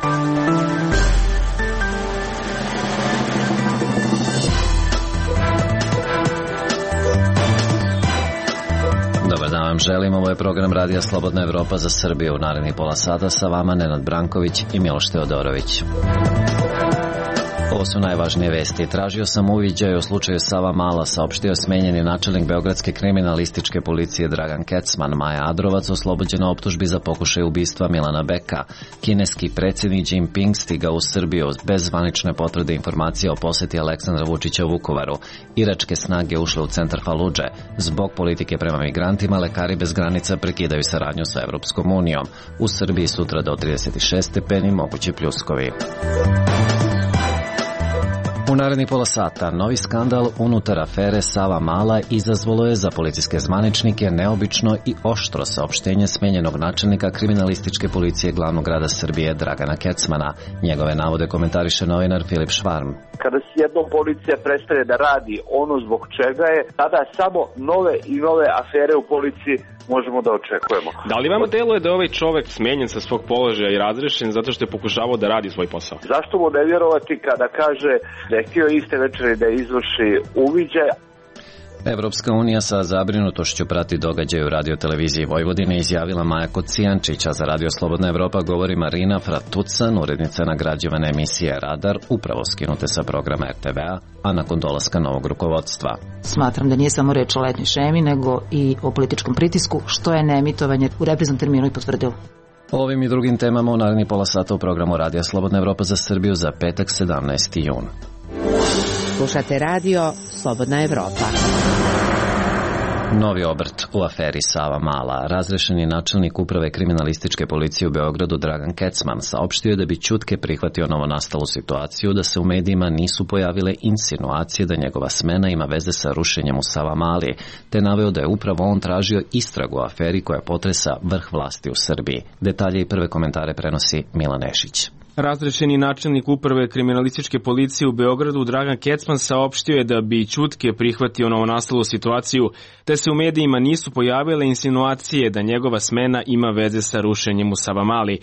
Dobar dan vam želim, ovo je program Radija Slobodna Evropa za Srbiju. U narednih pola sata sa vama Nenad Branković i Miloš Teodorović. Ovo su najvažnije vesti. Tražio sam uviđaj o slučaju Savamala, saopštio smenjeni načelnik Beogradske kriminalističke policije Dragan Kecman. Maja Adrovac oslobođena optužbi za pokušaj ubistva Milana Beka. Kineski predsjednik Xi Jinping stigao u Srbiju bez zvanične potvrde informacija o poseti Aleksandra Vučića u Vukovaru. Iračke snage ušle u centar Faludže. Zbog politike prema migrantima, lekari bez granica prekidaju saradnju sa Evropskom unijom. U Srbiji sutra do 36 stepeni mogući pljuskovi. U narednih pola sata novi skandal unutar afere Savamala izazvalo je za policijske zvaničnike neobično i oštro saopštenje smenjenog načelnika kriminalističke policije glavnog grada Srbije Dragana Kecmana. Njegove navode komentariše novinar Filip Švarm. Kada jednom policija prestane da radi ono zbog čega je, tada samo nove i nove afere u policiji možemo da očekujemo. Da li vam deluje da je ovaj čovek smenjen sa svog položaja i razrešen zato što je pokušavao da radi svoj posao? Zašto mu ne vjerovati kada kaže da je htio iste večeri da izvrši uviđaj? Evropska unija sa zabrinutošću prati događaje u radioteleviziji Vojvodine, izjavila Maja Kocijančić, a za Radio Slobodna Evropa govori Marina Fratucan, urednica nagrađivane emisije Radar, upravo skinute sa programa RTV-a, a nakon dolaska novog rukovodstva. Smatram da nije samo reč o letnjoj šemi, nego i o političkom pritisku, što je neemitovanje u repriznom terminu i potvrdilo. O ovim i drugim temama u narednih pola sata u programu Radija Slobodna Evropa za Srbiju za petak 17. jun. Slušate radio Slobodna Evropa. Novi obrt u aferi Savamala. Razrešeni načelnik uprave kriminalističke policije u Beogradu Dragan Kecman saopštio je da bi ćutke prihvatio novonastalu situaciju da se u medijima nisu pojavile insinuacije da njegova smena ima veze sa rušenjem u Savamali, te naveo da je upravo on tražio istragu o aferi koja potresa vrh vlasti u Srbiji. Detalje i prve komentare prenosi Milan Nešić. Razrešeni načelnik uprave kriminalističke policije u Beogradu Dragan Kecman saopštio je da bi ćutke prihvatio novonastalu situaciju, te se u medijima nisu pojavile insinuacije da njegova smena ima veze sa rušenjem u Savamali.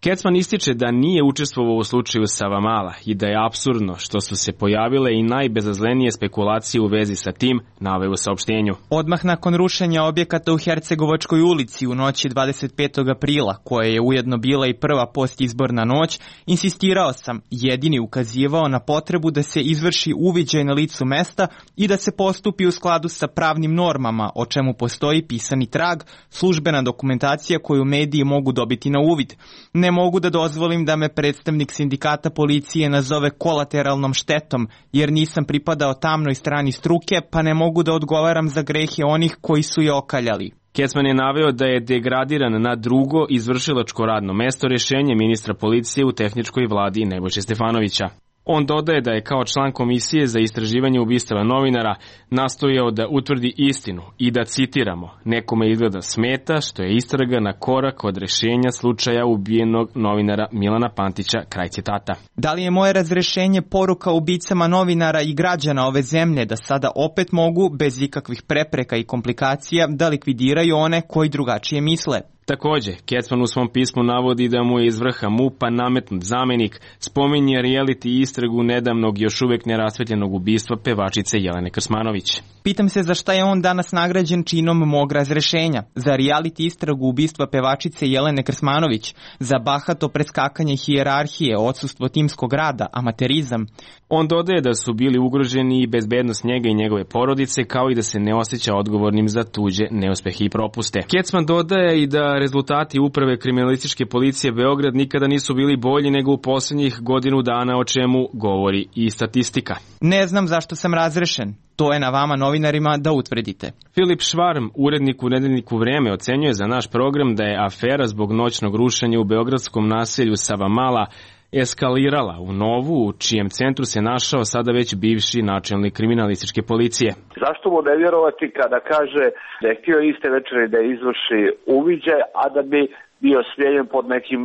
Kecman ističe da nije učestvovao u slučaju Savamala i da je apsurdno što su se pojavile i najbezazlenije spekulacije u vezi sa tim, naveo u saopštenju. Odmah nakon rušenja objekata u Hercegovačkoj ulici u noći 25. aprila, koja je ujedno bila i prva postizborna noć, insistirao sam, jedini ukazivao na potrebu da se izvrši uviđaj na licu mesta i da se postupi u skladu sa pravnim normama, o čemu postoji pisani trag, službena dokumentacija koju mediji mogu dobiti na uvid. Ne mogu da dozvolim da me predstavnik sindikata policije nazove kolateralnom štetom, jer nisam pripadao tamnoj strani struke, pa ne mogu da odgovaram za grehe onih koji su je okaljali. Kecman je naveo da je degradiran na drugo izvršilačko radno mesto rješenje ministra policije u tehničkoj vladi Nebojše Stefanovića. On dodaje da je kao član komisije za istraživanje ubistava novinara nastojao da utvrdi istinu i da, citiramo, nekome izgleda smeta što je istraga na korak od rješenja slučaja ubijenog novinara Milana Pantića, kraj citata. Da li je moje razrešenje poruka ubicama novinara i građana ove zemlje da sada opet mogu, bez ikakvih prepreka i komplikacija, da likvidiraju one koji drugačije misle? Također, Kecman u svom pismu navodi da mu je iz vrha MUP-a nametnut zamenik, spominje reality istragu nedavnog još uvijek nerasvetljenog ubistva pevačice Jelene Krsmanović. Pitam se za šta je on danas nagrađen činom mog razrešenja. Za reality istragu ubistva pevačice Jelene Krsmanović, za bahato preskakanje hijerarhije, odsustvo timskog rada, amaterizam. On dodaje da su bili ugroženi i bezbednost njega i njegove porodice, kao i da se ne osjeća odgovornim za tuđe neuspehe i propuste. Kecman dodaje i da rezultati uprave kriminalističke policije Beograd nikada nisu bili bolji nego u posljednjih godinu dana, o čemu govori i statistika. Ne znam zašto sam razrešen. To je na vama novinarima da utvrdite. Filip Švarm, urednik u nedeljniku Vreme, ocenjuje za naš program da je afera zbog noćnog rušenja u beogradskom naselju Savamala eskalirala u Novu, u čijem centru se našao sada već bivši načelnik kriminalističke policije. Zašto mu ne vjerovati kada kaže da je htio iste večeri da izvrši uviđaj, a da bi bio smijenjen pod nekim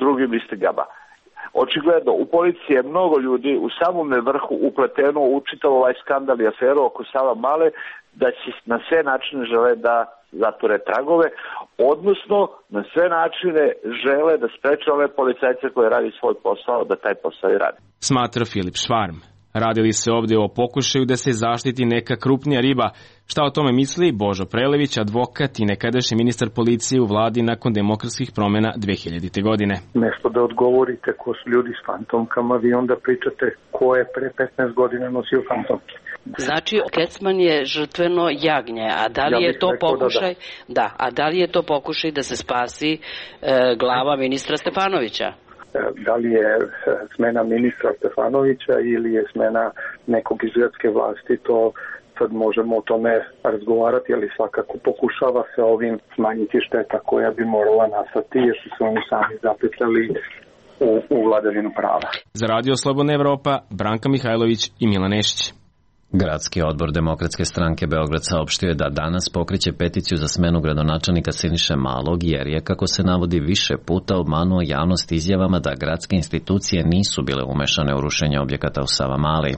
drugim istigama? Očigledno, u policiji je mnogo ljudi u samome vrhu upleteno u čitav ovaj skandal i aferu oko Savamale, da će na sve načine žele da zatvore tragove, odnosno na sve načine žele da spreče ove policajce koji radi svoj posao, da taj posao i radi. Smatra Filip Švarm. Radili se ovdje o pokušaju da se zaštiti neka krupnija riba. Šta o tome misli Božo Prelević, advokat i nekadašnji ministar policije u vladi nakon demokratskih promjena 2000. godine. Nešto da odgovorite ko su ljudi s fantomkama, vi onda pričate ko je pre 15 godina nosio fantomke. Znači, Kecman je žrtveno jagnje, a da li je to pokušaj? Da, a da li je to pokušaj da se spasi glava ministra Stefanovića? Da li je smena ministra Stefanovića ili je smena nekog iz gradske vlasti, to sad možemo o tome razgovarati, ali svakako pokušava se ovim smanjiti šteta koja bi morala nastati jer su se oni sami zapetljali u vladavinu prava. Za Radio Slobodna Evropa, Branka Mihajlović i Milan Nešić. Gradski odbor Demokratske stranke Beograd saopštio je da danas pokreće peticiju za smenu gradonačelnika Siniše Malog jer je, kako se navodi, više puta obmanuo javnost izjavama da gradske institucije nisu bile umešane u rušenje objekata u Savamali.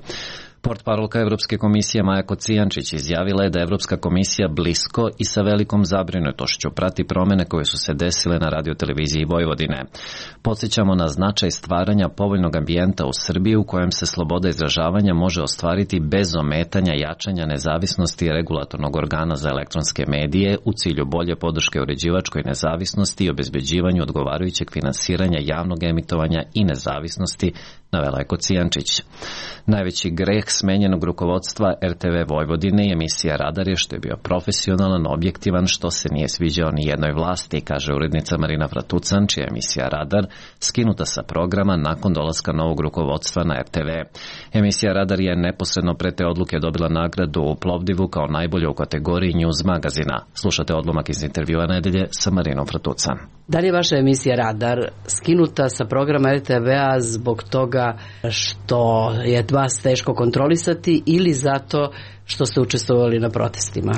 Portparolka Evropske komisije Maja Kocijančić izjavila je da Evropska komisija blisko i sa velikom zabrinutošću prati promjene koje su se desile na radioteleviziji Vojvodine. Podsjećamo na značaj stvaranja povoljnog ambijenta u Srbiji u kojem se sloboda izražavanja može ostvariti bez ometanja jačanja nezavisnosti regulatornog organa za elektronske medije u cilju bolje podrške uređivačkoj nezavisnosti i obezbeđivanju odgovarajućeg finansiranja javnog emitovanja i nezavisnosti, navela je Kocijančić. Najveći greh smenjenog rukovodstva RTV Vojvodine i emisija Radar je što je bio profesionalan, objektivan, što se nije sviđao ni jednoj vlasti, kaže urednica Marina Fratucan, čija je emisija Radar skinuta sa programa nakon dolaska novog rukovodstva na RTV. Emisija Radar je neposredno pre te odluke dobila nagradu u Plovdivu kao najbolju u kategoriji News magazina. Slušate odlomak iz intervjua nedelje sa Marinom Fratucan. Da li je vaša emisija Radar skinuta sa programa RTV-a zbog toga što je vas teško kontrolisati ili zato što ste učestvovali na protestima?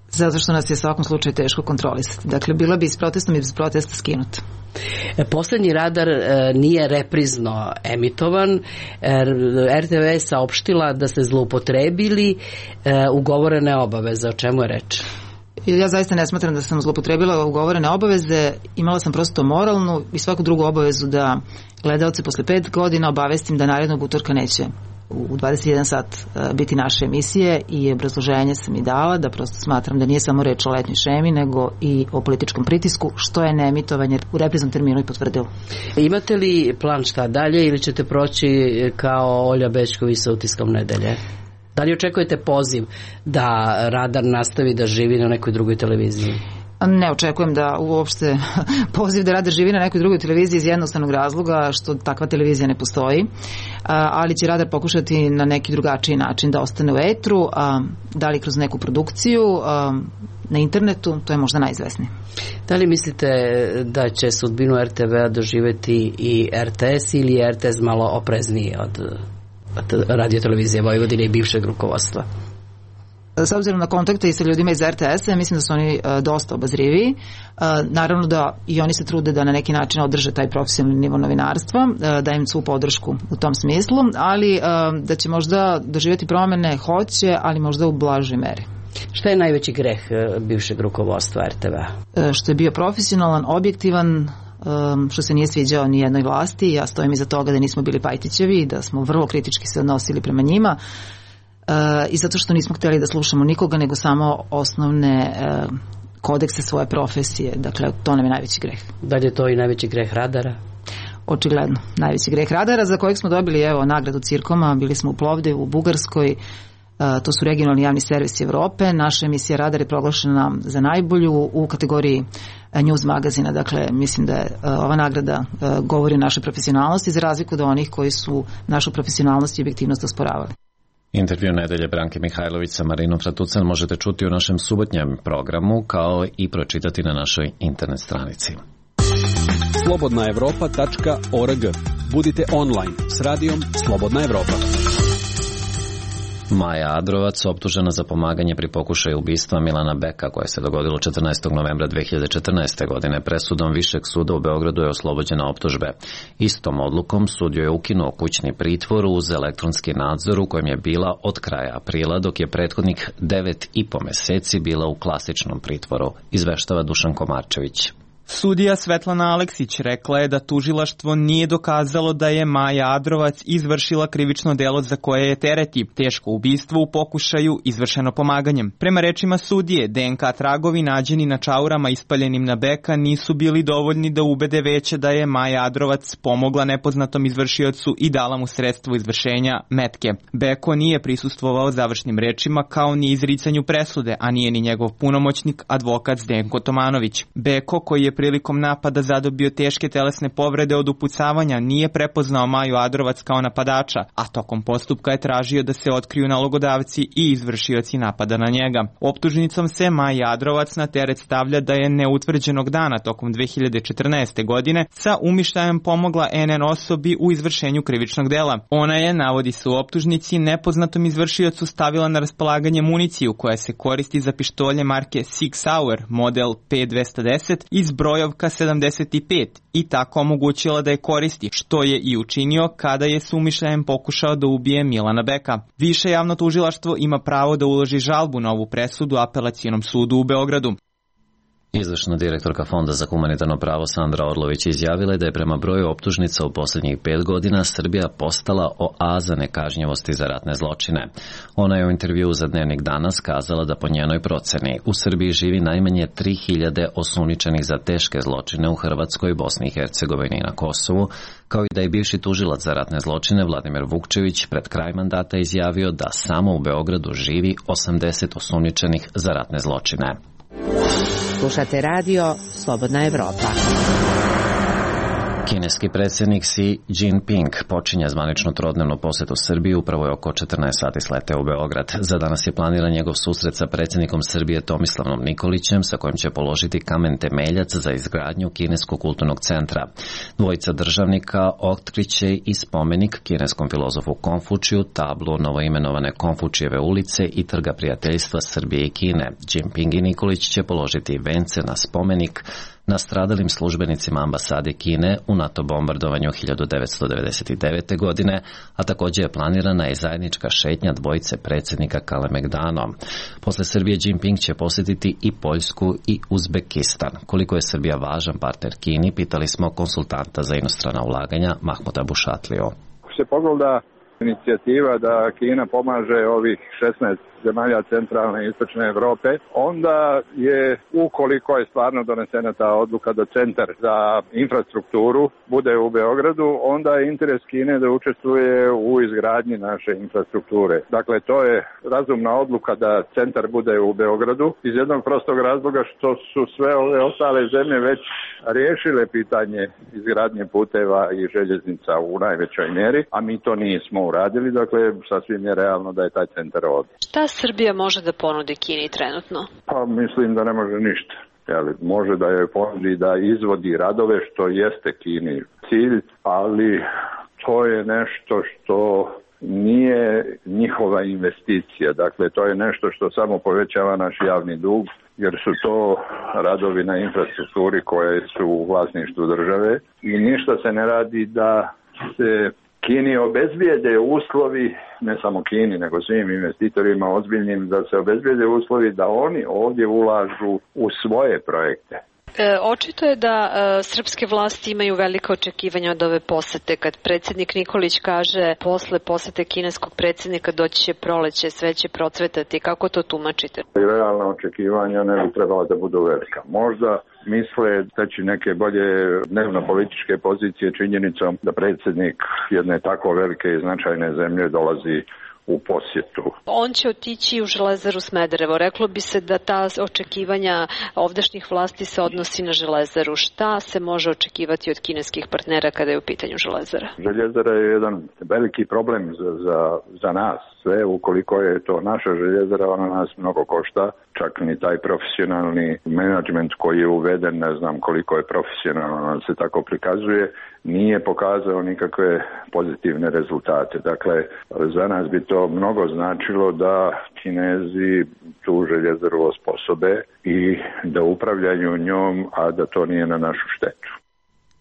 Zato što nas je u svakom slučaju teško kontrolisati. Dakle, bila bi s protestom i bez protesta skinuta. Poslednji Radar nije reprizno emitovan. RTV je saopštila da ste zloupotrebili ugovorene obaveze. O čemu je reč? Ja zaista ne smatram da sam zloupotrebila ugovorene obaveze. Imala sam prosto moralnu i svaku drugu obavezu da gledaoce posle 5 godina obavestim da narednog utorka neće u 21 sat biti naše emisije i obrazloženje sam i dala da prosto smatram da nije samo reč o letnjoj šemi nego i o političkom pritisku, što je neemitovanje u repriznom terminu i potvrdilo. Imate li plan šta dalje ili ćete proći kao Olja Bećković sa Utiskom nedelje? Da li očekujete poziv da Radar nastavi da živi na nekoj drugoj televiziji? Ne očekujem da uopšte poziv da Radar živi na nekoj drugoj televiziji iz jednostavnog razloga što takva televizija ne postoji, ali će Radar pokušati na neki drugačiji način da ostane u etru, da li kroz neku produkciju na internetu, to je možda najizvesnije. Da li mislite da će sudbinu RTV-a doživeti i RTS ili je RTS malo oprezniji od radiotelevizije Vojvodine i bivšeg rukovodstva? S obzirom na kontakte i sa ljudima iz RTS-a, mislim da su oni dosta obazriviji. Naravno da i oni se trude da na neki način održe taj profesionalni nivo novinarstva, da im svu podršku u tom smislu, ali da će možda doživjeti promene, hoće, ali možda u blažoj meri. Šta je najveći greh bivšeg rukovodstva RTV-a? Što je bio profesionalan, objektivan, što se nije sviđao ni jednoj vlasti. Ja stojim iza toga da nismo bili Pajtićevi, da smo vrlo kritički se odnosili prema njima i zato što nismo htjeli da slušamo nikoga nego samo osnovne kodekse svoje profesije. Dakle, to nam je najveći greh. Da li je to i najveći greh Radara? Očigledno, najveći greh Radara, za kojeg smo dobili nagradu Cirkoma. Bili smo u Plovdivu, u Bugarskoj. To su regionalni javni servisi Evrope. Naša emisija Radar je proglašena za najbolju u kategoriji News magazina. Dakle, mislim da je ova nagrada govori o našoj profesionalnosti za razliku od onih koji su našu profesionalnost i objektivnost osporavali. Intervju nedelje Branke Mihajlović sa Marinom Fratucan možete čuti u našem subotnjem programu kao i pročitati na našoj internet stranici. slobodnaevropa.org. Budite online s radijom Slobodna Evropa. Maja Adrovac, optužena za pomaganje pri pokušaju ubistva Milana Beka, koje se dogodilo 14. novembra 2014. godine, presudom Višeg suda u Beogradu je oslobođena optužbe. Istom odlukom sud joj je ukinuo kućni pritvor uz elektronski nadzor u kojem je bila od kraja aprila, dok je prethodnih 9,5 meseci bila u klasičnom pritvoru, izveštava Dušan Komarčević. Sudija Svetlana Aleksić rekla je da tužilaštvo nije dokazalo da je Maja Adrovac izvršila krivično delo za koje je tereti, teško ubistvo u pokušaju izvršeno pomaganjem. Prema rečima sudije, DNK tragovi nađeni na čaurama ispaljenim na Beka nisu bili dovoljni da ubede veće da je Maja Adrovac pomogla nepoznatom izvršiocu i dala mu sredstvo izvršenja metke. Beko nije prisustvovao završnim rečima kao ni izricanju presude, a nije ni njegov punomoćnik, advokat Zdenko Tomanović. Beko, koji je prilikom napada zadobio teške telesne povrede od upucavanja, nije prepoznao Maju Adrovac kao napadača, a tokom postupka je tražio da se otkriju nalogodavci i izvršioci napada na njega. Optužnicom se Maja Adrovac na teret stavlja da je neutvrđenog dana tokom 2014. godine sa umišljajem pomogla NN osobi u izvršenju krivičnog dela. Ona je, navodi se u optužnici, nepoznatom izvršiocu stavila na raspolaganje municiju koja se koristi za pištolje marke Sig Sauer model P210 iz brojovka 75 i tako omogućila da je koristi, što je i učinio kada je s umišljajem pokušao da ubije Milana Beka. Više javno tužilaštvo ima pravo da uloži žalbu na ovu presudu Apelacionom sudu u Beogradu. Izvršna direktorka Fonda za humanitarno pravo Sandra Orlović izjavila je da je prema broju optužnica u posljednjih 5 godina Srbija postala oaza nekažnjivosti za ratne zločine. Ona je u intervjuu za Dnevnik Danas kazala da po njenoj proceni u Srbiji živi najmanje 3000 osumnjičenih za teške zločine u Hrvatskoj, Bosni i Hercegovini i na Kosovu, kao i da je bivši tužilac za ratne zločine Vladimir Vukčević pred kraj mandata izjavio da samo u Beogradu živi 80 osumnjičenih za ratne zločine. Slušate radio Slobodna Evropa. Kineski predsjednik Xi Jinping počinje zvaničnu trodnevnu posjetu Srbiji, upravo je oko 14 sati sleteo u Beograd. Za danas je planiran njegov susret sa predsjednikom Srbije Tomislavom Nikolićem, sa kojim će položiti kamen temeljac za izgradnju Kineskog kulturnog centra. Dvojica državnika otkriće i spomenik kineskom filozofu Konfučiju, tablu novoimenovane Konfučijeve ulice i trga prijateljstva Srbije i Kine. Jinping i Nikolić će položiti vence na spomenik nastradalim službenicima ambasade Kine u NATO bombardovanju 1999. godine, a također je planirana i zajednička šetnja dvojice predsjednika Kalemegdanom. Posle Srbije Jinping će posjetiti i Poljsku i Uzbekistan. Koliko je Srbija važan partner Kini, pitali smo konsultanta za inostrana ulaganja Mahmuda Bušatliju. Ako se pogleda inicijativa da Kina pomaže ovih 16 zemalja centralne i istočne Evrope, onda je, ukoliko je stvarno donesena ta odluka da centar za infrastrukturu bude u Beogradu, onda je interes Kine da učestvuje u izgradnji naše infrastrukture. Dakle, to je razumna odluka da centar bude u Beogradu iz jednog prostog razloga što su sve ove ostale zemlje već riješile pitanje izgradnje puteva i željeznica u najvećoj mjeri, a mi to nismo uradili, dakle sasvim je realno da je taj centar ovdje. Šta Srbija može da ponudi Kini trenutno? Pa mislim da ne može ništa. Može da joj ponudi da izvodi radove, što jeste Kini cilj, ali to je nešto što nije njihova investicija. Dakle, to je nešto što samo povećava naš javni dug, jer su to radovi na infrastrukturi koje su u vlasništvu države i ništa se ne radi da se Kini obezbijede uslovi, ne samo Kini, nego svim investitorima ozbiljnim, da se obezbijede uslovi da oni ovdje ulažu u svoje projekte. Očito je da srpske vlasti imaju velika očekivanja od ove posete. Kad predsjednik Nikolić kaže posle posete kineskog predsjednika doći će proleće, sve će procvetati, kako to tumačite? Realna očekivanja ne bi trebala da budu velika. Možda misle steći neke bolje dnevno-političke pozicije činjenicom da predsjednik jedne tako velike i značajne zemlje dolazi u posjetu. On će otići u Železaru Smederevo. Reklo bi se da ta očekivanja ovdašnjih vlasti se odnosi na Železaru. Šta se može očekivati od kineskih partnera kada je u pitanju Železara? Željezara je jedan veliki problem za nas. sve, ukoliko je to naša željezara, ona nas mnogo košta, čak ni taj profesionalni menadžment koji je uveden, ne znam koliko je profesionalno, se tako prikazuje, nije pokazao nikakve pozitivne rezultate. Dakle, za nas bi to mnogo značilo da Kinezi tu željezaru osposobe i da upravljaju njom, a da to nije na našu štetu.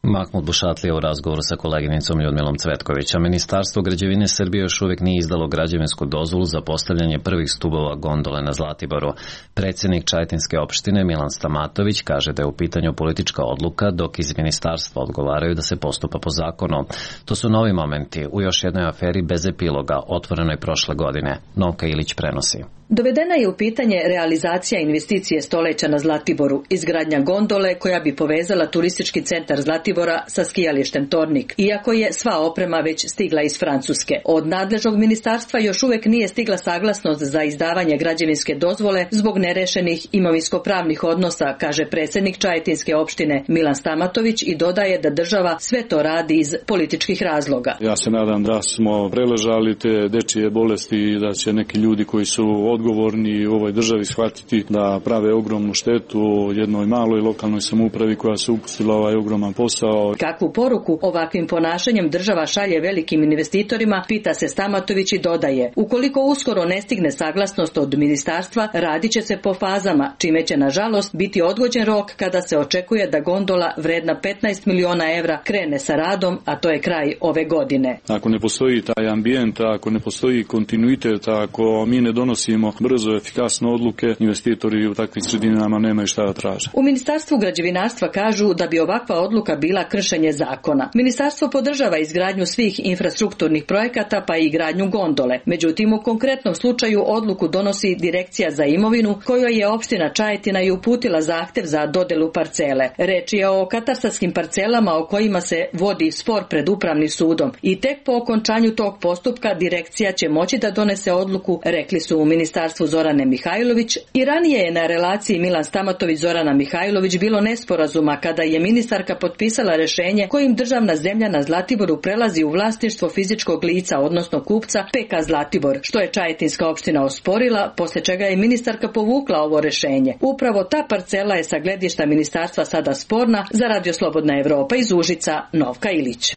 Mahmud Bušatlija u razgovoru sa koleginicom Ljudmilom Cvetkovića. Ministarstvo građevine Srbije još uvijek nije izdalo građevinsku dozvolu za postavljanje prvih stubova gondole na Zlatiboru. Predsjednik Čajetinske opštine Milan Stamatović kaže da je u pitanju politička odluka, dok iz ministarstva odgovaraju da se postupa po zakonu. To su novi momenti u još jednoj aferi bez epiloga, otvorenoj prošle godine. Novka Ilić prenosi. Dovedena je u pitanje realizacija investicije stoleća na Zlatiboru, izgradnja gondole koja bi povezala turistički centar Zlatibora sa skijalištem Tornik, iako je sva oprema već stigla iz Francuske. Od nadležnog ministarstva još uvijek nije stigla saglasnost za izdavanje građevinske dozvole zbog nerešenih imovinsko-pravnih odnosa, kaže predsjednik Čajetinske opštine Milan Stamatović i dodaje da država sve to radi iz političkih razloga. Ja se nadam da smo preležali te dečije bolesti i da će neki ljudi koji su odgovorni u ovoj državi shvatiti da prave ogromnu štetu jednoj maloj lokalnoj samoupravi koja se upustila ovaj ogroman posao. Kakvu poruku ovakvim ponašanjem država šalje velikim investitorima, pita se Stamatović i dodaje: ukoliko uskoro ne stigne saglasnost od ministarstva, radit će se po fazama, čime će nažalost biti odgođen rok kada se očekuje da gondola vredna 15 miliona evra krene sa radom, a to je kraj ove godine. Ako ne postoji taj ambijent, ako ne postoji kontinuitet, ako mi ne donosimo brzo, efikasno odluke, investitori u takvim sredinama nemaju šta da traže. U Ministarstvu građevinarstva kažu da bi ovakva odluka bila kršenje zakona. Ministarstvo podržava izgradnju svih infrastrukturnih projekata pa i gradnju gondole. Međutim, u konkretnom slučaju odluku donosi Direkcija za imovinu, kojoj je opština Čajetina i uputila zahtev za dodelu parcele. Reč je o katastarskim parcelama o kojima se vodi spor pred upravnim sudom i tek po okončanju tog postupka Direkcija će moći da donese odluku, rekli su u Ministarstvu Zorane Mihajlović. I ranije je na relaciji Milan Stamatović-Zorana Mihajlović bilo nesporazuma kada je ministarka potpisala rješenje kojim državna zemlja na Zlatiboru prelazi u vlasništvo fizičkog lica, odnosno kupca PK Zlatibor, što je Čajetinska opština osporila, poslije čega je ministarka povukla ovo rješenje. Upravo ta parcela je sa gledišta ministarstva sada sporna. Za Radio Slobodna Evropa iz Užica, Novka Ilić.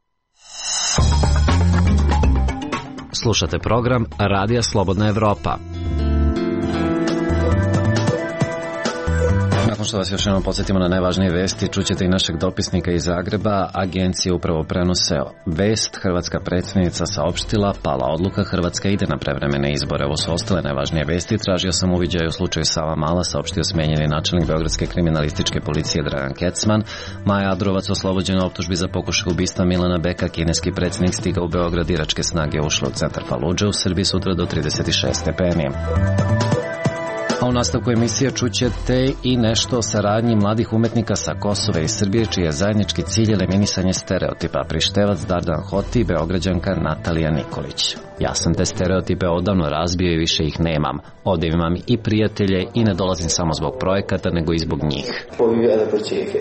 Slušate program Radija Slobodna Evropa. Nakon što vas još jednom podsjetimo na najvažnije vesti, čućete i našeg dopisnika iz Zagreba. Agencije upravo prenose vest. Hrvatska predsjednica saopštila, pala odluka, Hrvatska ide na prevremene izbore. Ovo su ostale najvažnije vesti. Tražio sam uviđaj u slučaju Savamala, saopštio smijenjeni načelnik Beogradske kriminalističke policije Dragan Kecman. Maja Adrovac oslobođena optužbi za pokušaj ubistva Milana Beka. Kineski predsjednik stigao u Beograd, iračke snage ušle u centar Faludže, u Srbiji sutra do 36 stepeni. A u nastavku emisije čućete i nešto o saradnji mladih umetnika sa Kosova i Srbije, čiji je zajednički cilj eliminisanje stereotipa. Prištevac Dardan Hoti i Beograđanka Natalija Nikolić. Ja sam te stereotipe odavno razbio i više ih nemam. Ovdje imam i prijatelje i ne dolazim samo zbog projekata, nego i zbog njih.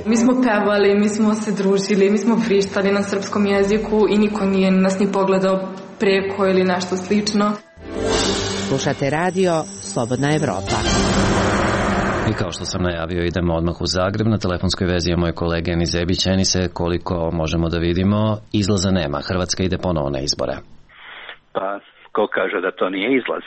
Mi smo pevali, mi smo se družili, mi smo frištali na srpskom jeziku i niko nije nas ni pogledao preko ili nešto slično. Slušate radio Slobodna Evropa. I kao što sam najavio, idemo odmah u Zagreb. Na telefonskoj vezi je moj kolega Enis Zebić. Enise, koliko možemo da vidimo, izlaza nema. Hrvatska ide ponovo na izbore. Pa, ko kaže da to nije izlaz?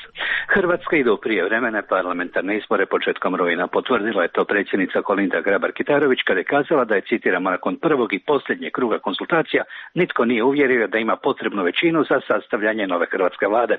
Hrvatska ide u prijevremene parlamentarne izbore početkom rujna. Potvrdila je to predsjednica Kolinda Grabar-Kitarović kada je kazala da je, citiramo, nakon prvog i posljednjeg kruga konsultacija nitko nije uvjerio da ima potrebnu većinu za sastavljanje nove hrvatske vlade.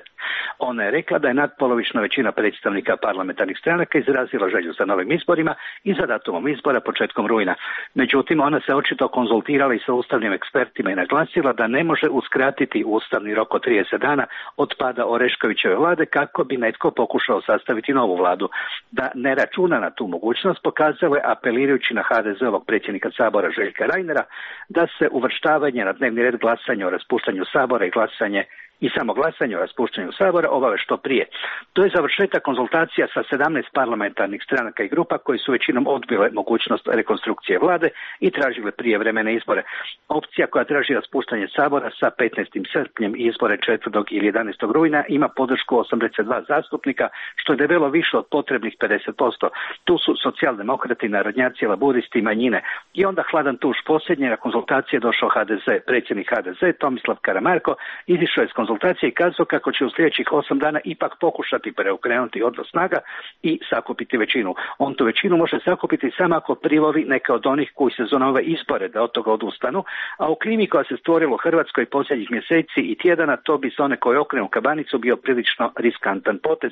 Ona je rekla da je nadpolovična većina predstavnika parlamentarnih stranaka izrazila želju za novim izborima i za datumom izbora početkom rujna. Međutim, ona se očito konzultirala i sa ustavnim ekspertima i naglasila da ne može uskratiti ustavni rok od 30 dana od pada Oreškovićeve vlade kako bi netko pokušao sastaviti novu vladu. Da ne računa na tu mogućnost pokazalo je apelirajući na HDZ-ovog predsjednika Sabora Željka Reinera da se uvrštavanje na dnevni red glasanja o raspuštanju Sabora i glasanje i samo glasanje o raspuštanju Sabora obave što prije. To je završetak konzultacija sa 17 parlamentarnih stranaka i grupa koji su većinom odbile mogućnost rekonstrukcije vlade i tražile prijevremene izbore. Opcija koja traži raspuštanje Sabora sa 15. srpnjem i izbore 4. ili 11. rujna ima podršku 82 zastupnika, što je debelo više od potrebnih 50%. Tu su socijaldemokrati, narodnjaci, laburisti i manjine. I onda hladan tuš posljednje na konzultacije došao HDZ. Predsjednik HDZ Tomislav Karamarko izišao je s konzultacije i kazao kako će u sljedećih 8 dana ipak pokušati preokrenuti odnos snaga i sakupiti većinu. On tu većinu može sakupiti samo ako privoli neke od onih koji se zove ove izbore da od toga odustanu, a u klimi koja se stvorila u Hrvatskoj posljednjih mjeseci i tjedana, to bi za one koji okrenu kabanicu bio prilično riskantan potez.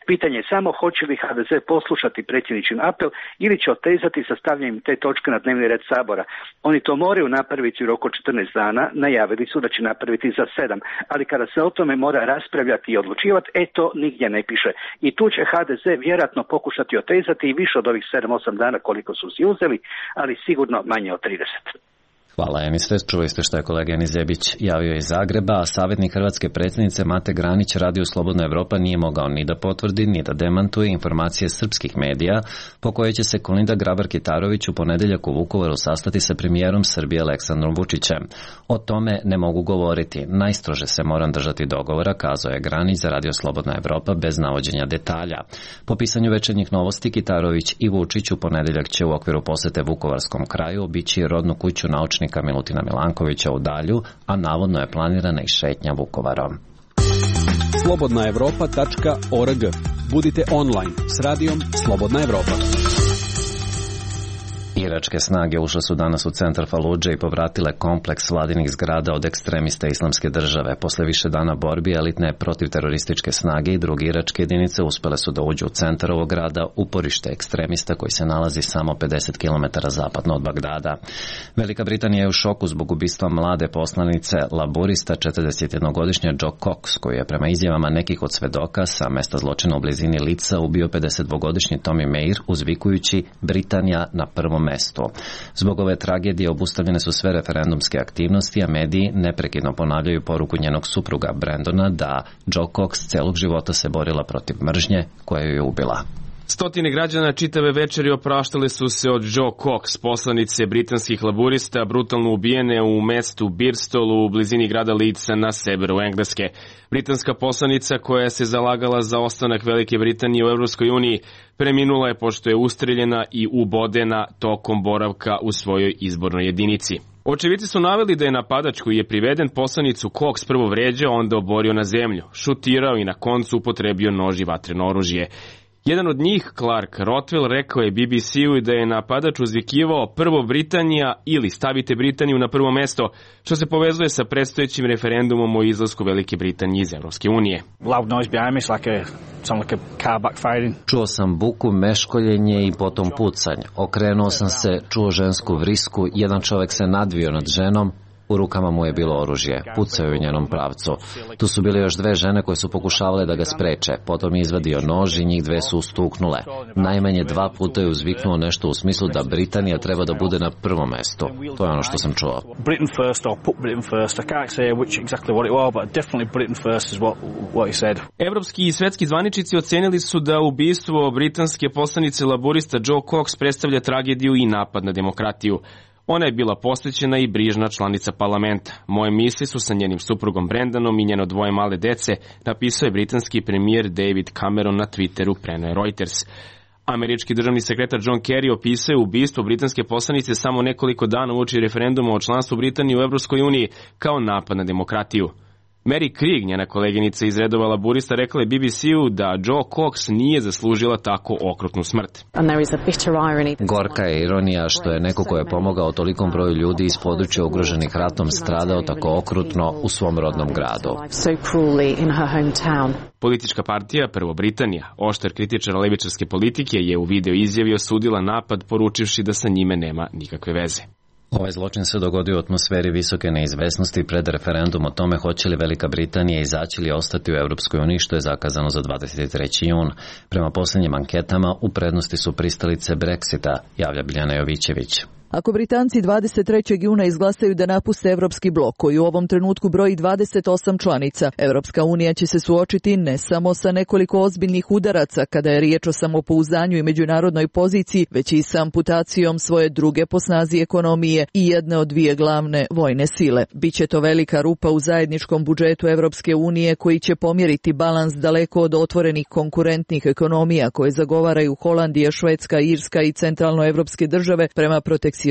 Pitanje je samo hoće li HDZ poslušati predsjedničin apel ili će otezati sa stavljanjem te točke na dnevni red Sabora. Oni to moraju napraviti u roku 14 dana, najavili su da će napraviti za 7, ali kada se o tome mora raspravljati i odlučivati, to nigdje ne piše. I tu će HDZ vjerojatno pokušati otezati i više od ovih 7-8 dana koliko su si uzeli, ali sigurno manje od 30. Hvala, Enise. Čuli ste što je kolega Enis Zebić javio iz Zagreba, a savjetnik hrvatske predsjednice Mate Granić Radio Slobodna Evropa nije mogao ni da potvrdi, ni da demantuje informacije srpskih medija po koje će se Kolinda Grabar-Kitarović u ponedjeljak u Vukovaru sastati sa premijerom Srbije Aleksandrom Vučićem. O tome ne mogu govoriti. Najstrože se moram držati dogovora, kazao je Granić za Radio Slobodna Evropa bez navođenja detalja. Po pisanju Večernjih novosti, Kitarović i Vučić u ponedjeljak će u okviru posete Vukovarskom kraju obići rodnu kuću naučnika Milutina Milankovića u Dalju, a navodno je planirana i šetnja Vukovarom. slobodnaevropa.org. Budite online s radijom Slobodna Evropa. Iračke snage ušle su danas u centar Faludže i povratile kompleks vladinih zgrada od ekstremista Islamske države. Posle više dana borbi, elitne protivterorističke snage i druge iračke jedinice uspele su da uđu u centar ovog grada, uporište ekstremista koji se nalazi samo 50 km zapadno od Bagdada. Velika Britanija je u šoku zbog ubistva mlade poslanice laburista 41-godišnje Joe Cox, koji je prema izjavama nekih od svedoka sa mesta zločina u blizini Lica ubio 52-godišnji Tommy Mair uzvikujući Britanija na prvom mestu. Zbog ove tragedije obustavljene su sve referendumske aktivnosti, a mediji neprekidno ponavljaju poruku njenog supruga Brandona da Joe Cox celog života se borila protiv mržnje koja ju je ubila. Stotine građana čitave večeri opraštale su se od Joe Cox, poslanice britanskih laburista, brutalno ubijene u mestu Birstolu u blizini grada Leedsa na severu Engleske. Britanska poslanica koja se zalagala za ostanak Velike Britanije u Evropskoj uniji preminula je pošto je ustreljena i ubodena tokom boravka u svojoj izbornoj jedinici. Očevici su naveli da je napadač koji je priveden poslanicu Cox prvo vređao, onda oborio na zemlju, šutirao i na koncu upotrebio nož i vatreno oružje. Jedan od njih, Clark Rothwell, rekao je BBC-u da je napadač uzvikivao prvo Britanija ili stavite Britaniju na prvo mesto, što se povezuje sa predstojećim referendumom o izlasku Velike Britanije iz Evropske unije. Čuo sam buku, meškoljenje i potom pucanje. Okrenuo sam se, čuo žensku vrisku, jedan čovjek se nadvio nad ženom, u rukama mu je bilo oružje, pucao je u njenom pravcu. Tu su bile još dve žene koje su pokušavale da ga spreče, potom je izvadio nož i njih dve su ustuknule. Najmanje 2 puta je uzviknuo nešto u smislu da Britanija treba da bude na prvom mestu. To je ono što sam čuo. Evropski i svetski zvaničnici ocenili su da ubistvo britanske poslanice laburista Joe Cox predstavlja tragediju i napad na demokratiju. Ona je bila posvećena i brižna članica parlamenta. Moje misli su sa njenim suprugom Brandonom i njeno 2 male dece, napisao je britanski premijer David Cameron na Twitteru, preneo je Reuters. Američki državni sekretar John Kerry opisao je ubistvo britanske poslanice samo nekoliko dana uoči referenduma o članstvu Britanije u Evropskoj uniji kao napad na demokratiju. Mary Krieg, njena koleginica iz redova laburista, rekla je BBC-u da Joe Cox nije zaslužila tako okrutnu smrt. Gorka je ironija što je neko ko je pomogao tolikom broju ljudi iz područja ugroženih ratom stradao tako okrutno u svom rodnom gradu. Politička partija Prvo Britanija, oštar kritičar levičarske politike, je u video izjavi osudila napad poručivši da sa njime nema nikakve veze. Ovaj zločin se dogodio u atmosferi visoke neizvesnosti pred referendum o tome hoće li Velika Britanija izaći ili ostati u Europskoj uniji, što je zakazano za 23. jun. Prema posljednjim anketama u prednosti su pristalice Brexita, javlja Biljana Jovićević. Ako Britanci 23. juna izglasaju da napuste Evropski blok, koji u ovom trenutku broji 28 članica, Evropska unija će se suočiti ne samo sa nekoliko ozbiljnih udaraca kada je riječ o samopouzdanju i međunarodnoj poziciji, već i sa amputacijom svoje druge po snazi ekonomije i jedne od dvije glavne vojne sile. Biće to velika rupa u zajedničkom budžetu Evropske unije koji će pomjeriti balans daleko od otvorenih konkurentnih ekonomija koje zagovaraju Holandija, Švedska, Irska i centralnoevropske države prema protekcionizmu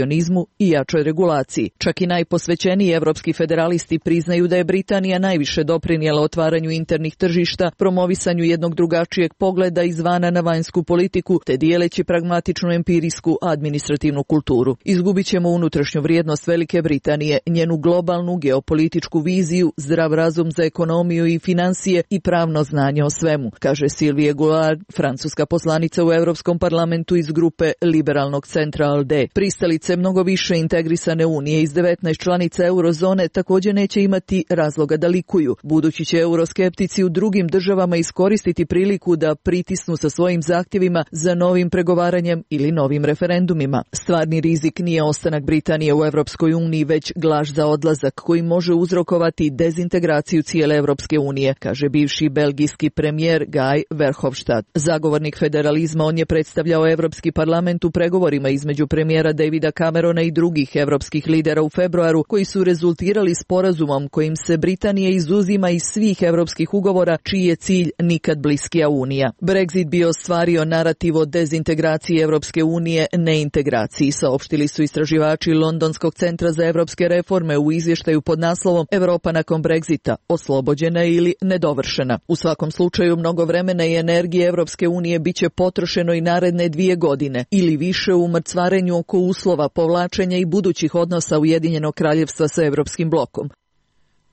i jačoj regulaciji. Čak i najposvećeniji evropski federalisti priznaju da je Britanija najviše doprinijela otvaranju internih tržišta, promovisanju jednog drugačijeg pogleda izvana na vanjsku politiku, te dijeleći pragmatičnu empirijsku administrativnu kulturu. Izgubit ćemo unutrašnju vrijednost Velike Britanije, njenu globalnu geopolitičku viziju, zdrav razum za ekonomiju i financije i pravno znanje o svemu, kaže Sylvie Goulard, francuska poslanica u Europskom parlamentu iz grupe liberalnog centra ALDE. Pristalice mnogo više integrisane unije iz 19 članica eurozone također neće imati razloga da likuju, budući će euroskeptici u drugim državama iskoristiti priliku da pritisnu sa svojim zahtjevima za novim pregovaranjem ili novim referendumima. Stvarni rizik nije ostanak Britanije u Europskoj uniji, već glaž za odlazak koji može uzrokovati dezintegraciju cijele Europske unije, kaže bivši belgijski premijer Guy Verhofstadt. Zagovornik federalizma, on je predstavljao Europski parlament u pregovorima između premijera Davida Camerona i drugih europskih lidera u februaru, koji su rezultirali sporazumom kojim se Britanija izuzima iz svih europskih ugovora, čiji je cilj nikad bliskija unija. Brexit bi ostvario narativ o dezintegraciji Europske unije, neintegraciji, saopštili su istraživači Londonskog centra za europske reforme u izvještaju pod naslovom Europa nakon Brexita, oslobođena ili nedovršena. U svakom slučaju mnogo vremena i energije Europske unije biće potrošeno i naredne 2 godine ili više u mrcvarenju oko uslova povlačenja i budućih odnosa Ujedinjenog kraljevstva sa Europskim blokom.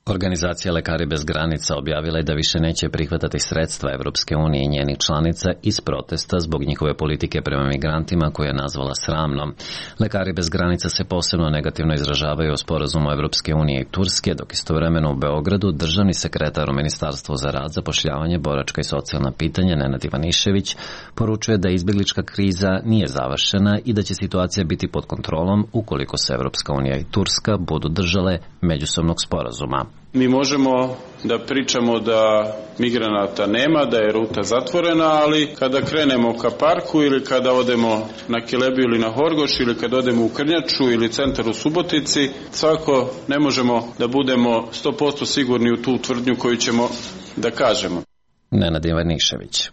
Organizacija Lekari bez granica objavila je da više neće prihvatati sredstva Evropske unije i njenih članica iz protesta zbog njihove politike prema migrantima koje je nazvala sramnom. Lekari bez granica se posebno negativno izražavaju o sporazumu Evropske unije i Turske, dok istovremeno u Beogradu državni sekretar u Ministarstvu za rad, zapošljavanje, boračka i socijalna pitanja Nenad Ivanišević poručuje da izbjeglička kriza nije završena i da će situacija biti pod kontrolom ukoliko se Evropska unija i Turska budu držale međusobnog sporazuma. Mi možemo da pričamo da migranata nema, da je ruta zatvorena, ali kada krenemo ka parku ili kada odemo na Kilebiju ili na Horgoš ili kada odemo u Krnjaču ili centar u Subotici, svako ne možemo da budemo 100% sigurni u tu tvrdnju koju ćemo da kažemo. Nenad Ivanišević.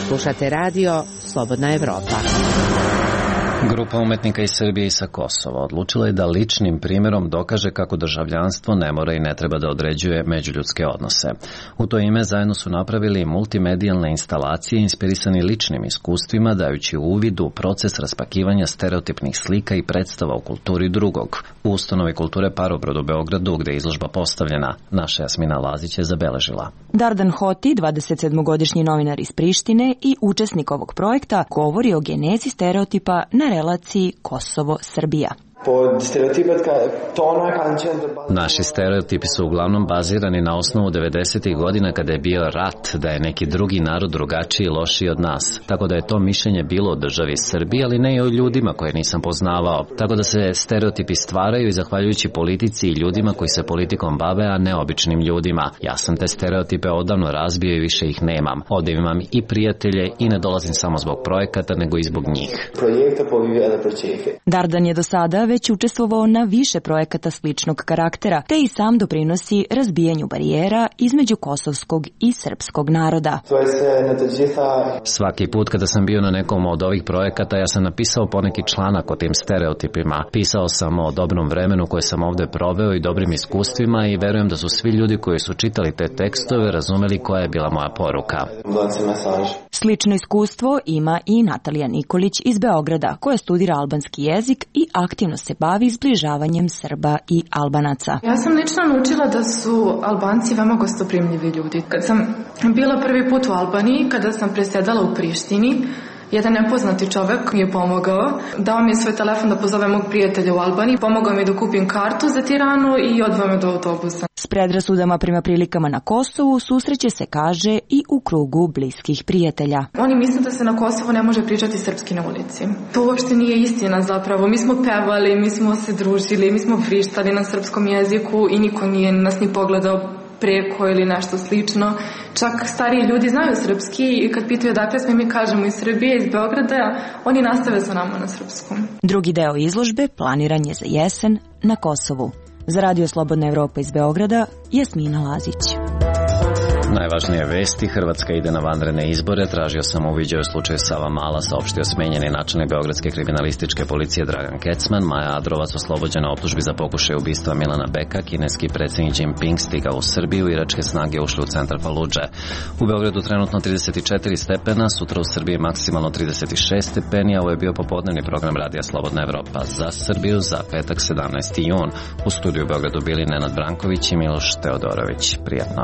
Slušate radio Slobodna Evropa. Grupa umetnika iz Srbije i sa Kosova odlučila je da ličnim primjerom dokaže kako državljanstvo ne mora i ne treba da određuje međuljudske odnose. U to ime zajedno su napravili multimedijalne instalacije inspirisani ličnim iskustvima, dajući uvid u proces raspakivanja stereotipnih slika i predstava u kulturi drugog. U ustanovi kulture Parobrod u Beogradu, gde je izložba postavljena, naša Jasmina Lazić je zabeležila. Dardan Hoti, 27-godišnji novinar iz Prištine i učesnik ovog projekta, govori o genezi stereotipa na relaciji Kosovo-Srbija. Naši stereotipi su uglavnom bazirani na osnovu 90. godina kada je bio rat, da je neki drugi narod drugačiji i lošiji od nas. Tako da je to mišljenje bilo o državi Srbiji, ali ne i o ljudima koje nisam poznavao. Tako da se stereotipi stvaraju i zahvaljujući politici i ljudima koji se politikom bave, a ne običnim ljudima. Ja sam te stereotipe odavno razbio i više ih nemam. Ovdje imam i prijatelje i ne dolazim samo zbog projekata, nego i zbog njih. Dardan je do sada već učestvovao na više projekata sličnog karaktera, te i sam doprinosi razbijanju barijera između kosovskog i srpskog naroda. Svaki put kada sam bio na nekom od ovih projekata, ja sam napisao poneki članak o tim stereotipima. Pisao sam o dobrom vremenu koje sam ovdje proveo i dobrim iskustvima i verujem da su svi ljudi koji su čitali te tekstove razumeli koja je bila moja poruka. Slično iskustvo ima i Natalija Nikolić iz Beograda, koja studira albanski jezik i aktivno se bavi zbližavanjem Srba i Albanaca. Ja sam lično naučila da su Albanci veoma gostoprimljivi ljudi. Kad sam bila prvi put u Albaniji, kada sam presjedala u Prištini, Jedan nepoznati čovek mi je pomogao, dao mi je svoj telefon da pozove mog prijatelja u Albaniji, pomogao mi da kupim kartu za Tiranu i odveo me do autobusa. S predrasudama prema prilikama na Kosovu susreće se, kaže, i u krugu bliskih prijatelja. Oni misle da se na Kosovu ne može pričati srpski na ulici. To uopšte nije istina zapravo. Mi smo pevali, mi smo se družili, mi smo vrištali na srpskom jeziku i niko nije nas ni pogledao preko ili nešto slično. Čak stariji ljudi znaju srpski i kad pitaju odakle smo, mi kažemo iz Srbije, iz Beograda, oni nastave sa nama na srpskom. Drugi deo izložbe planiran je za jesen na Kosovu. Za Radio Slobodna Evropa iz Beograda, Jasmina Lazić. Najvažnije vesti: Hrvatska ide na vanredne izbore. Tražio sam uviđaj u slučaju Savamala, saopštio smenjeni načelnik Beogradske kriminalističke policije Dragan Kecman. Maja Adrovac oslobođena optužbi za pokušaj ubistva Milana Beka. Kineski predsjednik Jinping stigao u Srbiju. Iračke snage ušle u centar Faludže. U Beogradu trenutno 34 stepena, sutra u Srbiji maksimalno 36 stepeni, a ovo je bio popodnevni program Radija Slobodna Evropa za Srbiju za petak 17. jun. U studiju u Beogradu bili Nenad Branković i Miloš Teodorović. Prijatno.